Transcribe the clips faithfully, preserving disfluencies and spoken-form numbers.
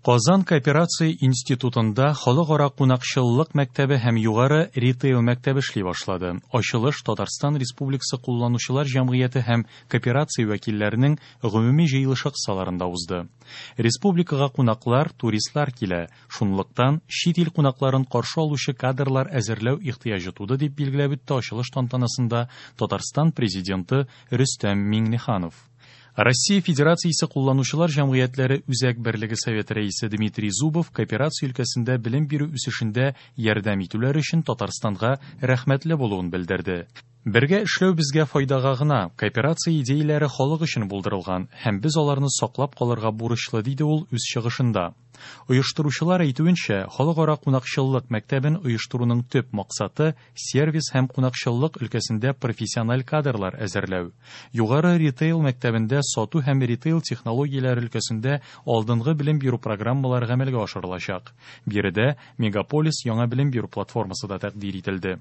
Казан кооперация институтында халыкара кунакчыллык мәктәбе һәм югары ритейл мәктәбе эшли башлады. Ачылыш Татарстан Республикасы кулланучылар җәмгыяте һәм кооперация вәкилләренең гомуми җыелышы кысаларында узды. Республикага кунаклар, туристлар килә. Шунлыктан чит ил кунакларын каршы алучы кадрлар әзерләү ихтыяҗы туды, дип билгеләп үтте ачылыш тантанасында Татарстан президенты Рөстәм Миңнеханов. Россия Федерациясе кулланучылар җәмгыятьләре Үзәк берлеге советы рәисе Дмитрий Зубов кооперация өлкәсендә белем бирү үсешендә ярдәм итүләр өчен Татарстанга рәхмәтле булуын белдерде. Бергә эшләү безгә файдага гына, кооперация идеяләре халык өчен булдырылган һәм без аларны саклап калырга бурычлы, диде ул үз чыгышында. Оештыручылар әйтүенчә, халыкара кунакчыллык мәктәбен оештыруның төп максаты сервис һәм кунакчыллык өлкәсендә профессиональ кадрлар әзерләү. Югары ритейл мәктәбендә сату һәм ритейл технологияләре өлкәсендә алдынгы белем бирү программалары гамәлгә ашырылачак. Биредә Мегаполис яңа белем бирү платформасы да тәкъдир ителде.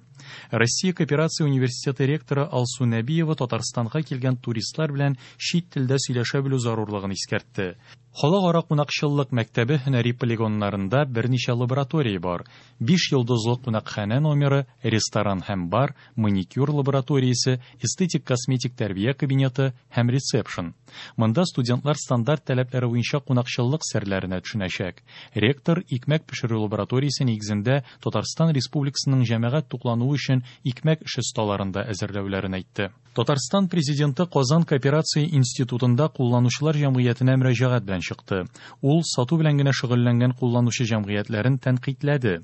Россия кооперация университеты ректоры Алсу Нәбиева Татарстанга килгән туристлар белән чит телдә сөйләшә белү зарурлыгын искәртте. Халыкара кунакчыллык мәктәбе һөнәри полигоннарында берничә лаборатория бар. Биш йолдызлы кунакханә номеры, ресторан һәм бар, маникюр лабораториясе, эстетик-косметик тәрбия кабинеты һәм ресепшн. Монда студентлар стандарт таләпләре буенча кунакчыллык серләренә төшенәчәк. Ректор икмәк пешерү лабораториясе нигезендә Татарстан Республикасының җәмәгать туклануы өчен икмәк эше осталарын да әзерләүләрен әйтте. Татарстан президенты Казан кооперация институтында кулланучылар җәмгыятенә мөрәҗәгать белән чыкты. Ул сату белән генә шөгыльләнгән кулланучы җәмгыятьләрен тәнкыйтьләде.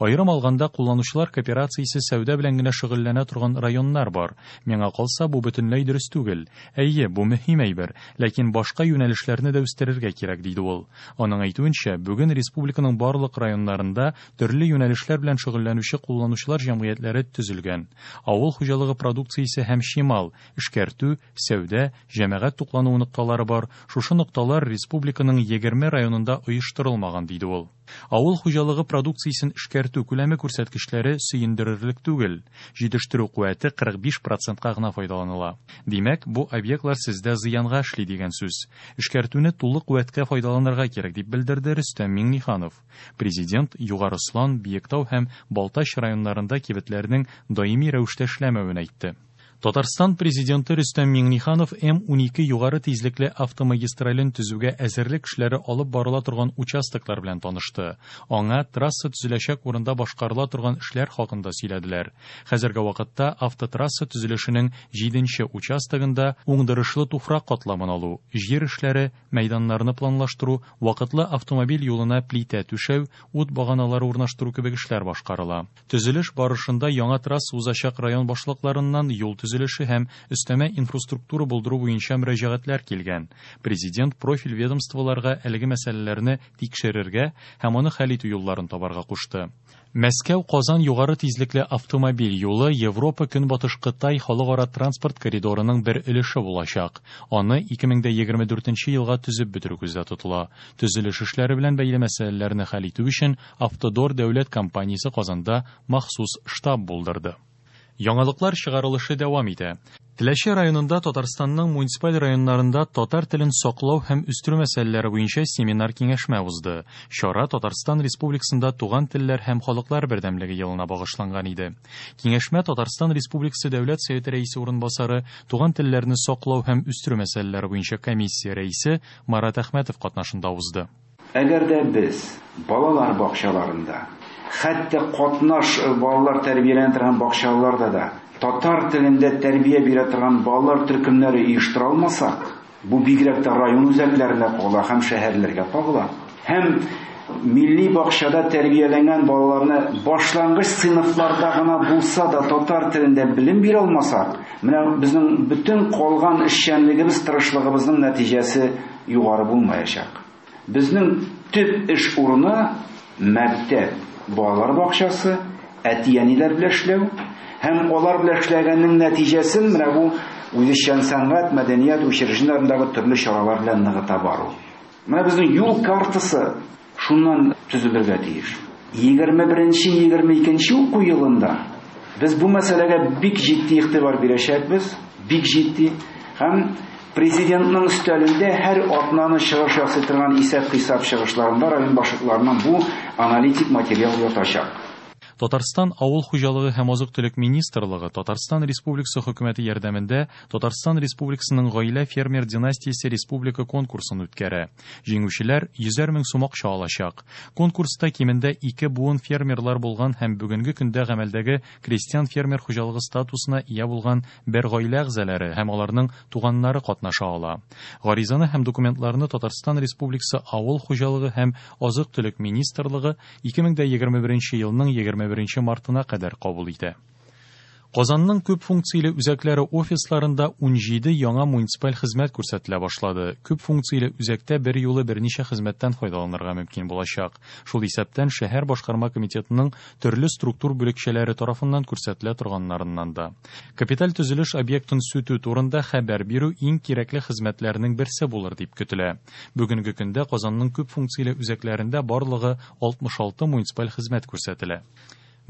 Аерым алганда, кулланучылар кооперациясе сәүдә белән генә шөгыльләнә торган районнар бар. Миңа калса, бу бөтенләй дөрес түгел. Әйе, бу мөһим әйбер, ләкин башка юнәлешләрне дә үстерергә кирәк, диде ул. Аның әйтүенчә, бүген республиканың барлык районнарында төрле юнәлешләр белән шөгыльләнүче кулланучылар җәмгыятьләре төзелгән. Авыл хуҗалыгы продукциясе һәм чимал, эшкәртү, сәүдә, җәмәгать туклануы нокталары бар. Шушы нокталар республиканың егерме районында оештырылмаган, диде ул. Авыл хуҗалыгы продукциясен эшкәртү күләме күрсәткечләре сөендерерлек түгел. Җитештерү куәте кырык биш процентка гына файдаланыла. Димәк, бу объектлар сездә зыянга эшли дигән сүз. Эшкәртүне тулы куәткә файдаланырга кирәк, дип белдерде Рөстәм Миңнеханов. Президент Югары Ослан, Биектау һәм Балтач районнарында кибетләрнең даими рәвештә эшләмәвен әйтте. Татарстан президенты Рөстәм Миңнеханов М унике югары тизлекле автомагистрален төзүгә әзерлек эшләре алып барыла торган участоклар белән танышты. Аңа трасса төзеләчәк урында башкарыла торган эшләр хакында сөйләделәр. Хәзерге вакытта автотрасса төзелешенең җиденче участогында уңдырышлы туфрак катламын алу, җир эшләре, мәйданнарны планлаштыру, вакытлы автомобиль юлына плитә түшәү, ут баганалары урнаштыру кебек эшләр башкарыла. Төзелеш барышында яңа трасса узачак район башлыкларыннан юл төзелеше һәм өстәмә инфраструктура булдыру буенча мөрәҗәгатьләр килгән. Президент профиль ведомстволарга әлеге мәсьәләләрне тикшерергә һәм аны хәл итү юлларын табарга кушты. Мәскәү-Казан югары тизлекле автомобиль юлы Европа Көнбатыш Кытай халыкара транспорт коридорының бер өлеше булачак. Аны ике мең дә егерме дүртенче елга төзеп бетерү күздә тотыла. Төзелеш эшләре белән бәйле мәсьәләләрне хәл итү өчен Автодор дәүләт компаниясе Казанда махсус штаб булдырды. Яңалыклар чыгарылышы дәвам итә. Теләче районында Татарстанның муниципаль районнарында татар телен саклау һәм үстерү мәсьәләләре буенча семинар киңәшмә узды. Чара Татарстан Республикасында туган телләр һәм халыклар бердәмлеге елына багышланган иде. Киңәшмә Татарстан Республикасы Дәүләт Советы рәисе урынбасары, туган телләрне саклау һәм үстерү мәсьәләләре буенча комиссия рәисе Марат Әхмәтов катнашында узды. Әгәр дә без балалар бакчаларында, хәтта катнаш балалар тәрбияләнә торган бакчаларда да татар телендә тәрбия бирә торган балалар төркемнәре оештыра алмасак, бу бигрәк тә район үзәкләренә кагыла һәм шәһәрләргә кагыла. Һәм милли бакчада тәрбияләнгән балаларны башлангыч сыйныфларда гына булса да татар телендә белем бирә алмасак, менә безнең бөтен калган эшчәнлегебез, тырышлыгыбызның нәтиҗәсе югары булмаячак. Безнең төп эш урыны мәктәп, балалар бакчасы, әти-әниләр белән эшләү һәм алар белән эшләгәннең нәтиҗәсен менә бу үзешчән сәнгать, мәдәният учреждениеләрендәге төрле чаралар белән ныгыта бару. Менә безнең юл картасы шуннан төзелергә тиеш. Егерме беренче, егерме икенче уку елында без бу мәсьәләгә бик җитди игътибар бирәчәкбез, бик җитди, һәм Президентның өстәлендә һәр атнаны чыгыш ясый торган исәп-хисап чыгышларында район башлыкларының бу аналитик материал ятачак. Татарстан Авыл хуҗалыгы һәм азык-төлек министрлыгы Татарстан Республикасы хөкүмәте ярдәмендә Татарстан Республикасының гаилә фермер династиясе республика конкурсын үткәрә. Җиңүчеләр йөзәр мең сум акча алачак. Конкурста кимендә ике буын фермерлар булган һәм бүгенге көндә гамәлдәге крестьян фермер хуҗалыгы статусына ия булган бер гаилә әгъзалары һәм аларның туганнары катнаша ала. Гаризаны һәм документларны Татарстан Республикасы Авыл хуҗалыгы һәм азык-төлек министрлыгы ике мең егерме беренче елның егерме беренче мартына кадәр кабул итә. Казанның күп функцияле үзәкләре офисларында унҗиде яңа муниципаль хезмәт күрсәтелә башлады. Күп функцияле үзәктә бер юлы берничә хезмәттән файдаланырга мөмкин булачак. Шул исәптән шәһәр башкарма комитетының төрле структур бүлекчәләре тарафыннан күрсәтелә торганнарыннан да. Капиталь төзелеш объектын сүтү турында хәбәр бирү иң кирәкле хезмәтләрнең берсе булыр дип көтелә. Бүгенге көндә Казанның күп функцияле үзәкләрендә барлыгы алтмыш алты муниципаль хезмәт күрсәтелә.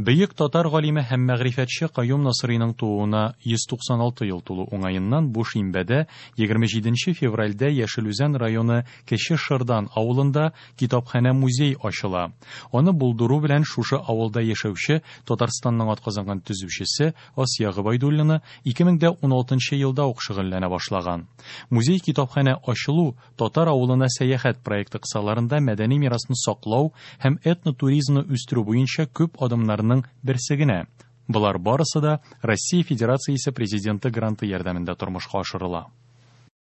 Бөек татар галиме һәм мәгърифәтче Каюм Насыйриның тууына йөз туксан алты ел тулу уңаеннан бу шимбәдә егерме җиденче февральдә Яшел Үзән районы Кече Шырдан авылында китапханә-музей ачыла. Аны булдыру белән шушы авылда яшәүче Татарстанның атказанган төзүчесе Асия Гобәйдуллина ике мең дә уналтынчы елда ук шөгыльләнә башлаган. Музей китапханә ачылу татар авылына сәяхәт проекты кысаларында мәдәни мирасны саклау һәм этнотуризмны үстерү буенча күп адымнарның берсе генә. Болар барысы да Россия Федерациясе Президенты гранты ярдәмендә тормышка ашырыла.